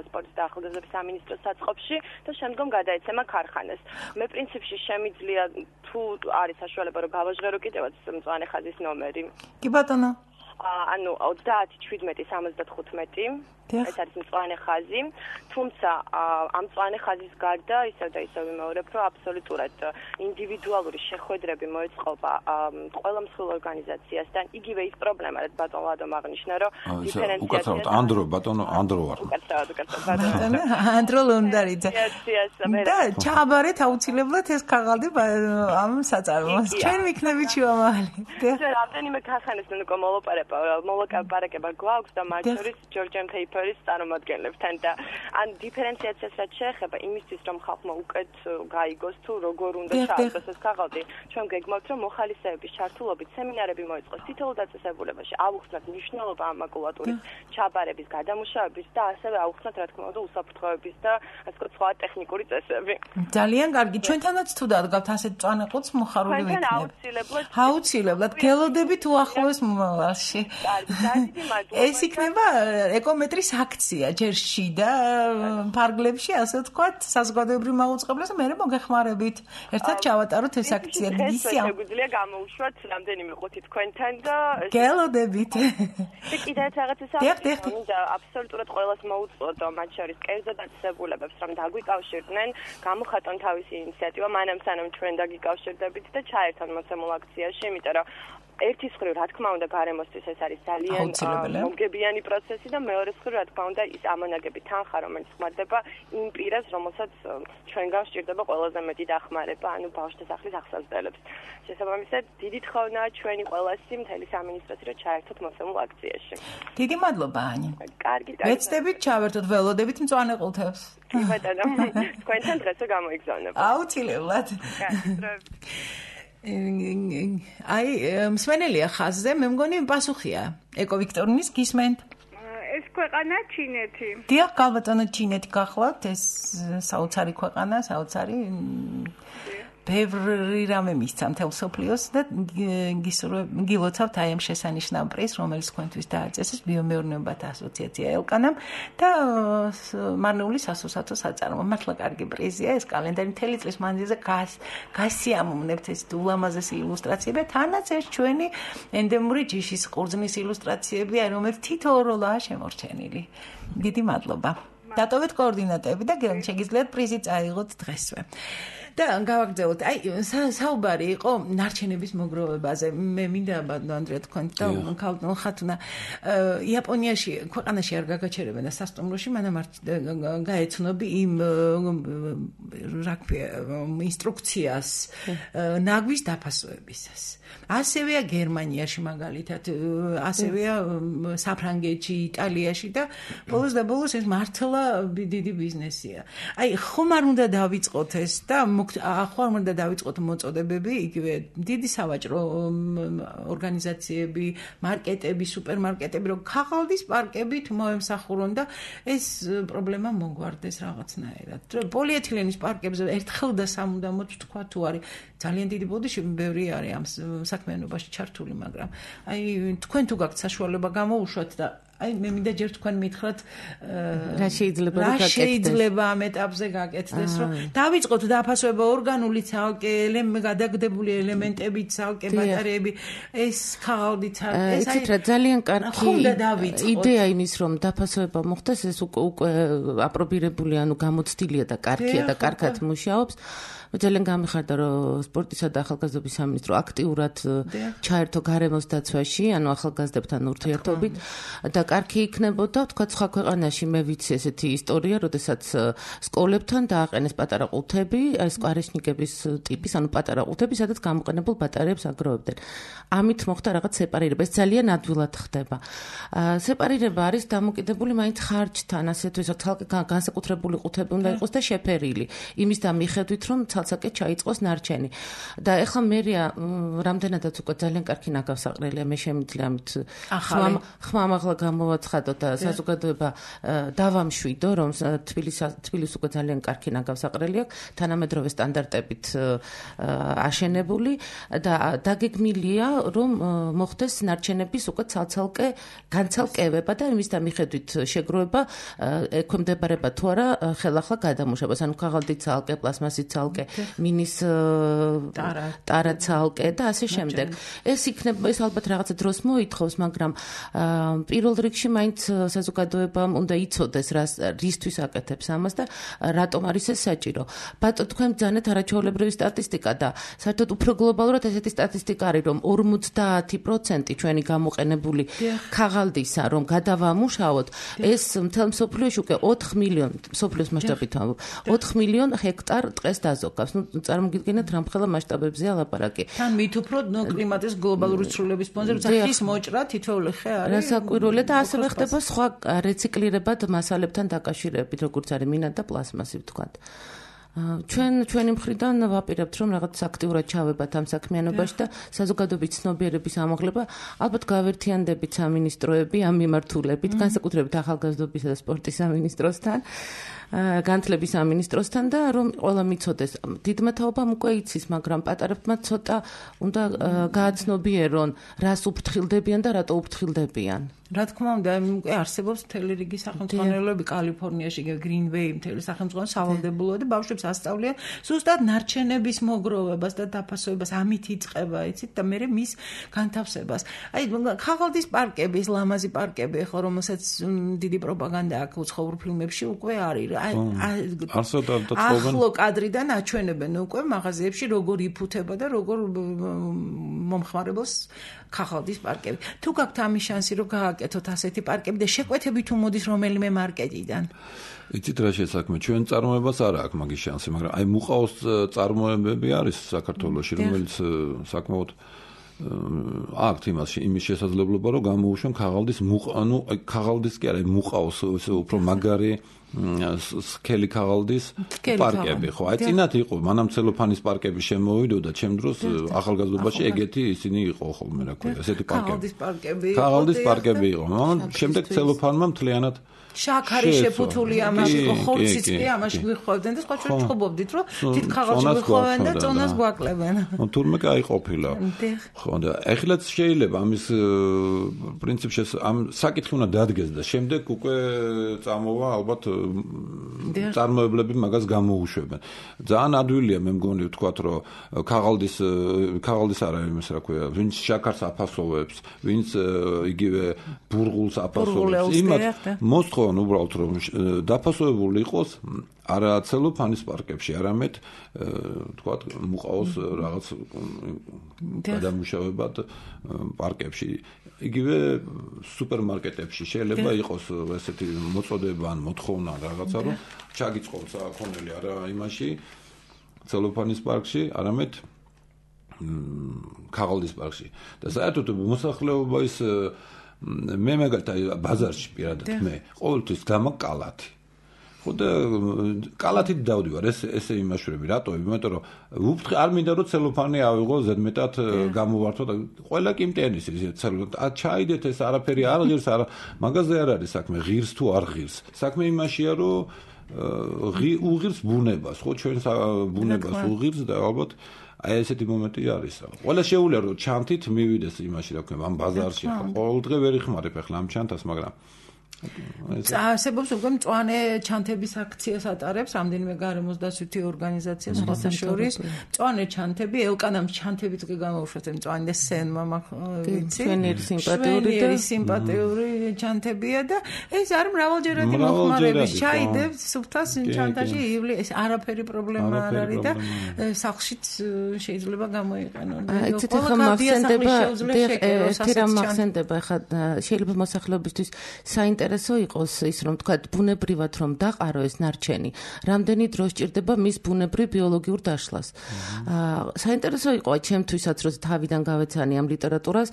სპორტის და ახალგაზრდობის სამინისტროს საწყობში და შემდგომ გადაეცემა ქარხანას. მე პრინციპში შემიძლია თუ არის საშუალება რომ გავაჟღერო კიდევაც მწვანე ხაზის ნომერი. კი ბატონო. ანუ ოცდაათი შვიდმეტი სამოცდათხუთმეტი ეს არის მწვანე ხაზი, თუმცა ამ მწვანე ხაზის გარდა ისევ და ისევ ვიმეორებ, რომ აბსოლუტურად ინდივიდუალური შეხვედრები მოეწყობა ყველა მსხვილ ორგანიზაციასთან. იგივე ის პრობლემა, რაც ბატონ ლადომ აღნიშნა, რომ დიფერენციაცია ანდრო ბატონო ანდრო ვარ. უკაცრავად უკაცრავად ბატონო ანდრო ლონდარიძე. და ჩააბარეთ აუცილებლად ეს ქაღალდი ამ საწარმოს. ჩვენ ვიქნებით შუამავალი. და რამდენიმე ქარხანას უკვე მოლაპარაკება, მოლაპარაკება გვაქვს და მათ შორის Georgian Paper-ის წარმომადგენლებთან და ან დიფერენციაციას რაც შეეხება იმისთვის რომ ხალხმა უკეთ გაიგოს თუ როგორ უნდა ჩააბაროს ეს ქაღალდი, ჩვენ გეგმავთ რომ მოხალისეების ჩართულობით სემინარები მოეწყოს თითოეულ დაწესებულებაში, ავუხსნათ მნიშვნელობა ამ მაკულატურის ჩაბარების, გადამუშავების და ასევე ავუხსნათ რა თქმა უნდა უსაფრთხოების და ასე ვთქვათ სხვა ტექნიკური წესები. ძალიან კარგი, ჩვენთანაც თუ დადგავთ ასეთ მწვანე ყუთს მოხარული ვიქნებით. აუცილებლად. აუცილებლად. გელოდებით უახლოეს მომავალში. ეს იქნება ეკომეტრის აქცია ჯერ შიდა ფარგლებში, ასე ვთქვათ, საზოგადოებრივ მაუწყებლობას და მე მოგეხმარებით. ერთად ჩავატაროთ ეს აქცია. ისე შეგვიძლია გამოუშვათ რამდენიმე ყუთი თქვენთან და გელოდებით. და კიდევ რაღაცას ამბობ და აბსოლუტურად ყველას მოუწოდო, მათ შორის კერძო დაწესებულებებს, რომ დაგვიკავშირდნენ, გამოხატონ თავისი ინიციატივა, მანამ სანამ ჩვენ დაგიკავშირდებით და ჩაერთონ მოცემულ აქციაში, იმიტომ რომ ერთის მხრივ რა თქმა უნდა გარემოსთვის ეს არის ძალიან მომგებიანი პროცესი და მეორეს მხრივ რა თქმა უნდა ის ამონაგები თანხა რომელიც ხმარდება იმ პირას რომელსაც ჩვენგან სჭირდება ყველაზე მეტი დახმარება ანუ ბავშვთა სახლის ახსავსდელებს შესაბამისად დიდი თხოვნაა ჩვენი ყველასი მთელი სამინისტროსი რომ ჩაერთოთ მოცემულ აქციაში დიდი მადლობა ანი კარგი ვეცდებით ჩავერთოთ ველოდებით მწვანე ყუთებს კი ბატონო თქვენთან დღესო გამოიგზავნება აუცილებლად აი მსმენელია ხაზზე მე მგონი პასუხია ეკო ვიქტორინის გისმენთ ეს ქვეყანა ჩინეთი დიახ გალბატონო ჩინეთი გახლავთ ეს საოცარი ქვეყანა საოცარი ბევრი რამე მისცა მთელ სოფლიოს და გილოცავთ აი ამ შესანიშნავ პრიზს რომელიც თქვენთვის დააწესეს ბიომეურნეობათა ასოციაცია ელკანამ და მარნეული სასოსათო საწარმო მართლა კარგი პრიზია ეს კალენდარი მთელი წლის მანძილზე გასიამოვნებთ ეს ულამაზესი ილუსტრაციები თანაც ეს ჩვენი ენდემური ჯიშის ყურძნის ილუსტრაციები აი რომელიც თითოეულ როლაა შემორჩენილი დიდი მადლობა დატოვეთ კოორდინატები და შეგიძლიათ პრიზი წაიღოთ დღესვე და გავაგრძელოთ. აი საუბარი იყო ნარჩენების მოგროვებაზე. მე მინდა ბატონო ანდრია თქვენ და ქალბატონ ხათუნა იაპონიაში ქვეყანაში არ გაგაჩერებენ და სასტუმროში მანამ არ გაეცნობი იმ რა ქვია ინსტრუქციას ნაგვის დაფასოებისას. ასევეა გერმანიაში მაგალითად, ასევეა საფრანგეთში, იტალიაში და ბოლოს და ბოლოს ეს მართლა დიდი ბიზნესია. აი ხომ არ უნდა დავიწყოთ ეს და ახლა უნდა დავიწყოთ მოწოდებები, იგივე დიდი სავაჭრო ორგანიზაციები, მარკეტები, სუპერმარკეტები, რომ ქაღალდის პარკებით მოემსახურონ და ეს პრობლემა მოგვარდეს რაღაცნაირად. პოლიეთილენის პარკებზე ერთხელ და სამუდამოდ თქვა თუ არის ძალიან დიდი ბოდიში, ბევრი არის ამ საქმიანობაში ჩართული, მაგრამ აი თქვენ თუ გაქვთ საშუალება გამოუშვათ და აი მე მინდა ჯერ თქვენ მითხრათ რა შეიძლება რა შეიძლება ამ ეტაპზე გაკეთდეს რომ დავიწყოთ დაფასება ორგანული ცალკე გადაგდებული ელემენტები ცალკე ბატარეები ეს ქაღალდი ცალკე ეს აი ძალიან კარგი იდეა იმის რომ დაფასება მოხდეს ეს უკვე აპრობირებული ანუ გამოცდილია და კარგია და კარგად მუშაობს ძალიან გამიხარდა რომ სპორტისა და ახალგაზრდობის სამინისტრო აქტიურად ჩაერთო გარემოს დაცვაში, ანუ ახალგაზრდებთან ურთიერთობით და კარგი იქნებოდა, თქვა სხვა ქვეყანაში მე ვიცი ესეთი ისტორია, როდესაც სკოლებთან დააყენეს პატარა ყუთები, ეს სკვარეშნიკების ტიპის, ანუ პატარა ყუთები, სადაც გამოყენებულ ბატარეებს აგროვებდნენ. ამით მოხდა რაღაც სეპარირება, ეს ძალიან ადვილად ხდება. სეპარირება არის დამოკიდებული მაინც ხარჯთან, ასე თუ ისე თალკე განსაკუთრებული ყუთები უნდა იყოს და შეფერილი. იმის და მიხედვით რომ ცალ-ცალკე ჩაიწყოს ნარჩენი. და ეხლა მერია რამდენადაც უკვე ძალიან კარგი ნაგავსაყრელია, მე შემიძლია ამით ხმამაღლა გამოვაცხადო და საზოგადოება დავამშვიდო, რომ თბილისს უკვე ძალიან კარგი ნაგავსაყრელი აქვს, თანამედროვე სტანდარტებით აშენებული და დაგეგმილია, რომ მოხდეს ნარჩენების უკვე ცალ-ცალკე განცალკევება და იმის და მიხედვით შეგროვება ექვემდებარება თუ არა ხელახლა გადამუშავებას, ანუ ქაღალდი ცალკე, პლასმასი ცალკე, მინის ტარა ცალკე და ასე შემდეგ. ეს იქნება, ეს ალბათ რაღაცა დროს მოითხოვს, მაგრამ პირველ რიგში მაინც საზოგადოებამ უნდა იცოდეს, რისთვის აკეთებს ამას და რატომ არის ეს საჭირო. ბატონო, თქვენ ბრძანეთ არაჩვეულებრივი სტატისტიკა და საერთოდ უფრო გლობალურად ესეთი სტატისტიკა არის, რომ ორმოცდაათი პროცენტი ჩვენი გამოყენებული ქაღალდისა, რომ გადავამუშავოთ, ეს მთელ მსოფლიოში უკვე ოთხ მილიონ, მსოფლიოს მასშტაბით ვამბობ, ოთხ მილიონ ჰექტარ ტყეს დაზოგავს. ნუ წარმოგიდგენთ რამხელა მასშტაბებზეა ლაპარაკი. თან მით უფრო კლიმატის გლობალური ცვლილებების ფონზე, როცა ხის მოჭრა თითოეული ხე არის. რასაკვირველია და ასევე ხდება სხვა რეციკლირებად მასალებთან დაკავშირებით, როგორც არის მინა და პლასმასი ვთქვათ. ჩვენ ჩვენი მხრიდან ვაპირებთ რომ რაღაც აქტიურად ჩავებათ ამ საქმიანობაში და საზოგადოების ცნობიერების ამაღლება ალბათ გავერთიანდებით სამინისტროები ამ მიმართულებით, განსაკუთრებით ახალგაზრდობისა და სპორტის სამინისტროსთან, განათლების სამინისტროსთან და რომ ყველა მიცოდეს. დიდმა თაობამ უკვე იცის, მაგრამ პატარებმა ცოტა უნდა გააცნობიერონ, რას უფრთხილდებიან და რატო უფრთხილდებიან. რა თქმა უნდა, უკვე არსებობს მთელი რიგი სახელმძღვანელოები კალიფორნიაში, გრინვეი, მთელი სახელმძღვანელო სავალდებულოა და ბავშვებს ასწავლიან ზუსტად ნარჩენების მოგროვებას და დაფასებას, ამით იწყება, იცით, და მე მის განთავსებას. აი, ქაღალდის პარკები, ეს ლამაზი პარკები, ხო, რომელსაც დიდი პროპაგანდა აქვს უცხოურ ფილმებში, უკვე არის. ახლო კადრიდან აჩვენებენ უკვე მაღაზიებში როგორ იფუთება და როგორ მომხმარებელს ქაღალდის პარკები. თუ გაქვთ ამის შანსი, რომ გააკეთოთ ასეთი პარკები და შეკვეთები თუ მოდის რომელიმე მარკეტიდან. იცით რა შესაქმე, ჩვენ წარმოებას არ აქვს მაგის შანსი, მაგრამ აი მუყაოს წარმოებები არის საქართველოში, რომელიც საკმაოდ აქვთ იმაში იმის შესაძლებლობა, რომ გამოუშვენ ქაღალდის მუყა, ანუ ქაღალდის კი არა, მუყაოს უფრო მაგარი სქელი ქაღალდის პარკები, ხო? აი წინათ იყო, მანამ ცელოფანის პარკები შემოვიდოდა, ჩემ დროს ახალგაზრდობაში ეგეთი ისინი იყო ხოლმე, რა ქვია, ესეთი პარკები. ქაღალდის პარკები. ქაღალდის პარკები იყო. მაგრამ შემდეგ ცელოფანმა მთლიანად შაქარი შეფუთული ამაში იყო, ხორციც კი ამაში გვიხვევდნენ და სხვა ჩვენ ჩხუბობდით, რომ თით ქაღალში გვიხვევენ და წონას გვაკლებენ. ნუ თურმე კაი ყოფილა. ხო, და ეხლაც შეიძლება ამის პრინციპში ამ საკითხი უნდა დადგეს და შემდეგ უკვე წამოვა ალბათ წარმოებლები მაგას გამოუშვებენ. ძალიან ადვილია მე მგონი ვთქვათ, რომ ქაღალდის ქაღალდის არა იმის რა ქვია, ვინც შაქარს აფასოვებს, ვინც იგივე ბურღულს აფასოვებს, იმათ მოსთხოვ უბრალოდ რომ დაფასოვებული იყოს არა ცელოფანის პარკებში, არამედ თქვათ მუყაოს რაღაც გადამუშავებად პარკებში. იგივე სუპერმარკეტებში შეიძლება იყოს ესეთი მოწოდება ან მოთხოვნა რაღაცა, რომ ჩაგიწყობს აქონელი არა იმაში ცელოფანის პარკში, არამედ ქაღალდის პარკში. და საერთოდ მოსახლეობა ის მე მაგალითად ბაზარში პირადად მე ყოველთვის გამაკალათი. ხო და კალათით დავდივარ, ეს ესე იმაშვრები, რატო? იმიტომ რომ უფრთხი არ მინდა რომ ცელოფანი ავიღო ზედმეტად გამოვართო და ყველა კი მტენის ისე ცელოფანი. ა ჩაიდეთ ეს არაფერი არ ღირს, არა მაგაზე არ არის საქმე, ღირს თუ არ ღირს. საქმე იმაშია რომ უღირს ბუნებას, ხო ჩვენ ბუნებას უღირს და ალბათ აი ესეთი მომენტი არის. ყველა შეუძლია რომ ჩანთით მივიდეს იმაში, რა ქვია, ამ ბაზარში. ყოველ დღე ვერ იხმარებ ახლა ამ ჩანთას, მაგრამ წასებობს უკვე მწვანე ჩანთების აქციას ატარებს რამდენიმე გარემოს დასვითი ორგანიზაცია სხვათა შორის მწვანე ჩანთები ელკანამ ჩანთებიც კი გამოუშვათ მწვანე და სენმა ვიცი ჩვენერი სიმპათიური და სიმპათიური ჩანთებია და ეს არ მრავალჯერადი მოხმარების ჩაიდებს სუფთას ჩანთაში ივლი ეს არაფერი პრობლემა არ არის და სახლშიც შეიძლება გამოიყენონ იცით ხომ მახსენდება ერთი რამ მახსენდება ხა შეიძლება მოსახლეობისთვის საინტერესო იყოს ის რომ თქვა ბუნებრივად რომ დაყარო ეს ნარჩენი რამდენი დრო სჭირდება მის ბუნებრივ ბიოლოგიურ დაშლას საინტერესო იყო ჩემთვისაც რომ თავიდან გავეცანი ამ ლიტერატურას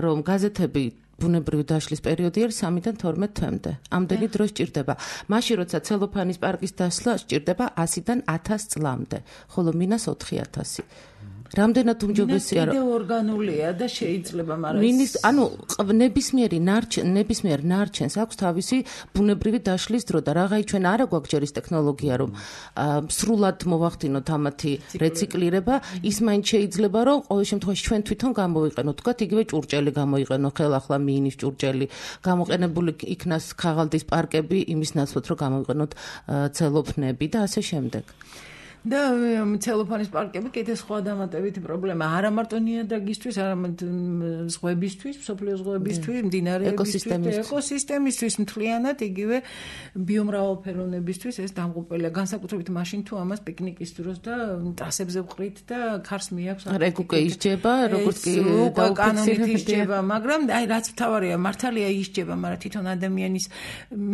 რომ გაზეთები ბუნებრივი დაშლის პერიოდი არის სამიდან თორმეტ თვემდე. ამდენი დრო სჭირდება. მაშინ როცა ცელოფანის პარკის დასლა სჭირდება ასიდან ათას წლამდე, ხოლო მინას ოთხი ათასი. რამდენად უმჯობესია რომ კიდე ორგანულია და შეიძლება მაგრამ მინის ანუ ნებისმიერი ნარჩენ ნებისმიერ ნარჩენს აქვს თავისი ბუნებრივი დაშლის დრო და რაღაი ჩვენ არა გვაქვს ჯერ ის ტექნოლოგია რომ სრულად მოვახდინოთ ამათი რეციკლირება ის მაინც შეიძლება რომ ყოველ შემთხვევაში ჩვენ თვითონ გამოვიყენოთ თქვათ იგივე ჭურჭელი გამოიყენო ხელახლა მინის ჭურჭელი გამოყენებული იქნას ქაღალდის პარკები იმის ნაცვლად რომ გამოვიყენოთ ცელოფნები და ასე შემდეგ და ცელოფანის პარკები კიდე სხვა დამატებითი პრობლემა არა მარტო ნიადაგისთვის, არამედ ზღვებისთვის, მსოფლიოს ზღვებისთვის, მდინარეებისთვის, ეკოსისტემისთვის, მთლიანად იგივე ბიომრავალფეროვნებისთვის ეს დამღუპველია, განსაკუთრებით მაშინ თუ ამას პიკნიკის დროს და ტრასებზე ვყრით და ქარს მიაქვს. არა, ეგ უკვე ისჯება, როგორც კი კანონით ისჯება, მაგრამ აი რაც მთავარია, მართალია ისჯება, მაგრამ თვითონ ადამიანის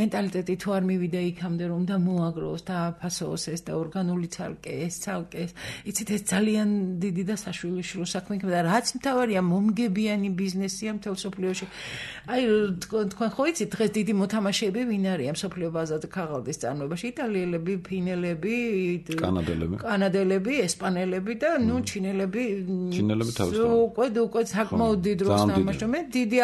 მენტალიტეტი თუ არ მივიდა იქამდე რომ და მოაგროს და აფასოს ეს და ორგანული ცალკე ეს ცალკე იცით ეს ძალიან დიდი და საშვილიშვილო საქმე იქნება და რაც მთავარია მომგებიანი ბიზნესია მთელ სოფლიოში აი თქვენ ხო იცით დღეს დიდი მოთამაშეები ვინ არიან სოფლიო ბაზარზე ქაღალდის წარმოებაში იტალიელები ფინელები კანადელები კანადელები ესპანელები და ნუ ჩინელები ჩინელები თავის უკვე უკვე საკმაოდ დიდ დროს თამაშობენ მე დიდი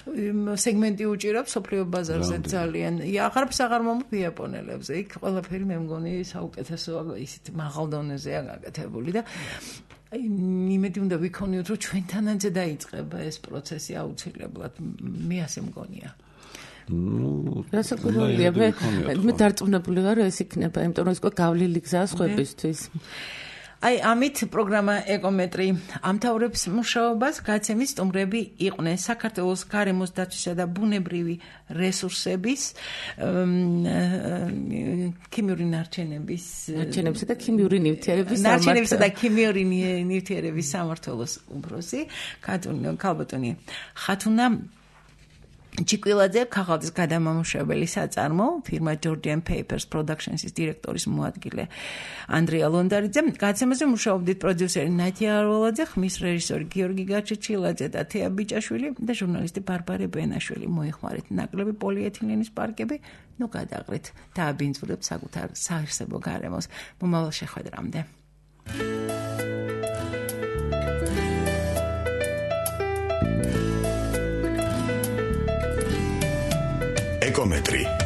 სეგმენტი უჭირავს სოფლიო ბაზარზე ძალიან აღარც აღარ მომხდ იაპონელებზე იქ ყველაფერი მე მგონი საუკეთესოა ისეთ მაღალ დონეზეა გაკეთებული და აი იმედი უნდა ვიქონიოთ რომ ჩვენთანაც დაიწყება ეს პროცესი აუცილებლად მე ასე მგონია ну რასაკვირველია მე მე დარწმუნებული ვარ რომ ეს იქნება იმიტომ რომ ეს უკვე გავლილი გზაა სხვებისთვის აი ამით პროგრამა ეკომეტრი ამთავრებს მუშაობას გაცემის სტუმრები იყვნენ საქართველოს გარემოს დაცვისა და ბუნებრივი რესურსების ქიმიური ნარჩენების ნარჩენებისა და ქიმიური ნივთიერების ნარჩენებისა და ქიმიური ნივთიერების სამმართველოს უფროსი ქალბატონი ხათუნა ჩიკვილაძე ქაღალდის გადამამუშავებელი საწარმო ფირმა Georgian Papers Productions-ის დირექტორის მოადგილე ანდრია ლონდარიძე გაცემაზე მუშაობდით პროდიუსერი ნათია არვალაძე ხმის რეჟისორი გიორგი გაჩეჩილაძე და თეა ბიჭაშვილი და ჟურნალისტი ბარბარე ბენაშვილი მოიხმარეთ ნაკლები პოლიეთილენის პარკები ნუ გადაყრით და აბინძურებთ საკუთარ საარსებო გარემოს მომავალ შეხვედრამდე ეკომეტრი